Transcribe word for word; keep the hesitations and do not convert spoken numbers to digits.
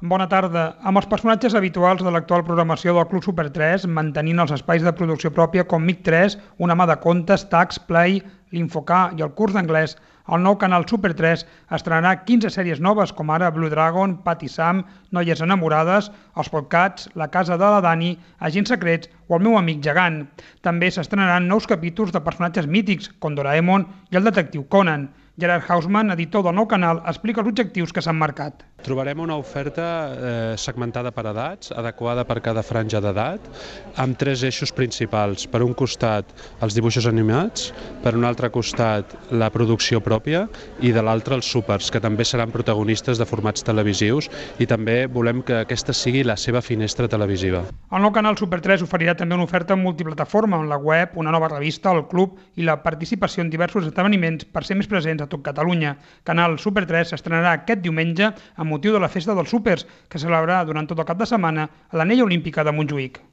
Bona tarda. Amb els personatges habituals de l'actual programació del Club Super tres, mantenint els espais de producció pròpia com Mic tres, Una mà de contes, Tax, Play, l'Infocà i el curs d'anglès, el nou canal Super tres estrenarà quinze sèries noves com ara Blue Dragon, Pat i Sam, Noies enamorades, Els Podcats, La casa de la Dani, Agents secrets o El meu amic gegant. També s'estrenaran nous capítols de personatges mítics com Doraemon i el detectiu Conan. Gerard Hausman, editor del nou canal, explica els objectius que s'han marcat. Trobarem una oferta eh, segmentada per edats, adequada per cada franja d'edat, amb tres eixos principals. Per un costat, els dibuixos animats, per un altre costat, la producció pròpia i de l'altre, els súpers, que també seran protagonistes de formats televisius i també volem que aquesta sigui la seva finestra televisiva. El nou canal Super tres oferirà també una oferta multiplataforma on la web, una nova revista, el club i la participació en diversos esdeveniments per ser més presents a tot Catalunya. Canal Super tres s'estrenarà aquest diumenge amb motiu de la Festa dels Súpers, que se celebrarà durant tot el cap de setmana a l'Anella Olímpica de Montjuïc.